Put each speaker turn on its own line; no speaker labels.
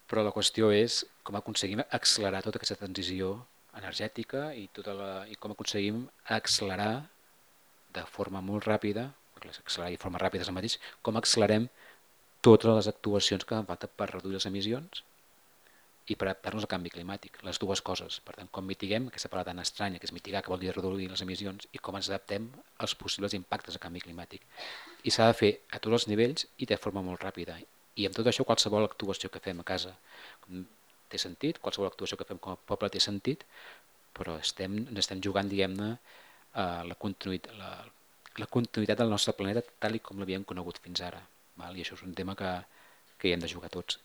Però la qüestió és com aconseguim accelerar tota aquesta transició energètica i com aconseguim accelerar de forma molt ràpida, perquè accelerar de forma ràpida és el mateix, com accelerem totes les actuacions que fan falta per reduir les emissions i per adaptar-nos al canvi climàtic, les dues coses. Per tant, com mitiguem aquesta paraula tan estranya, que és mitigar, que vol dir reduir les emissions, i com ens adaptem als possibles impactes del canvi climàtic. I s'ha de fer a tots els nivells i de forma molt ràpida. I amb tot això, qualsevol actuació que fem a casa té sentit, qualsevol actuació que fem com a poble té sentit, però ens estem jugant, diguem-ne, la continuïtat del nostre planeta tal i com l'havíem conegut fins ara. Val? I això és un tema que hi hem de jugar tots.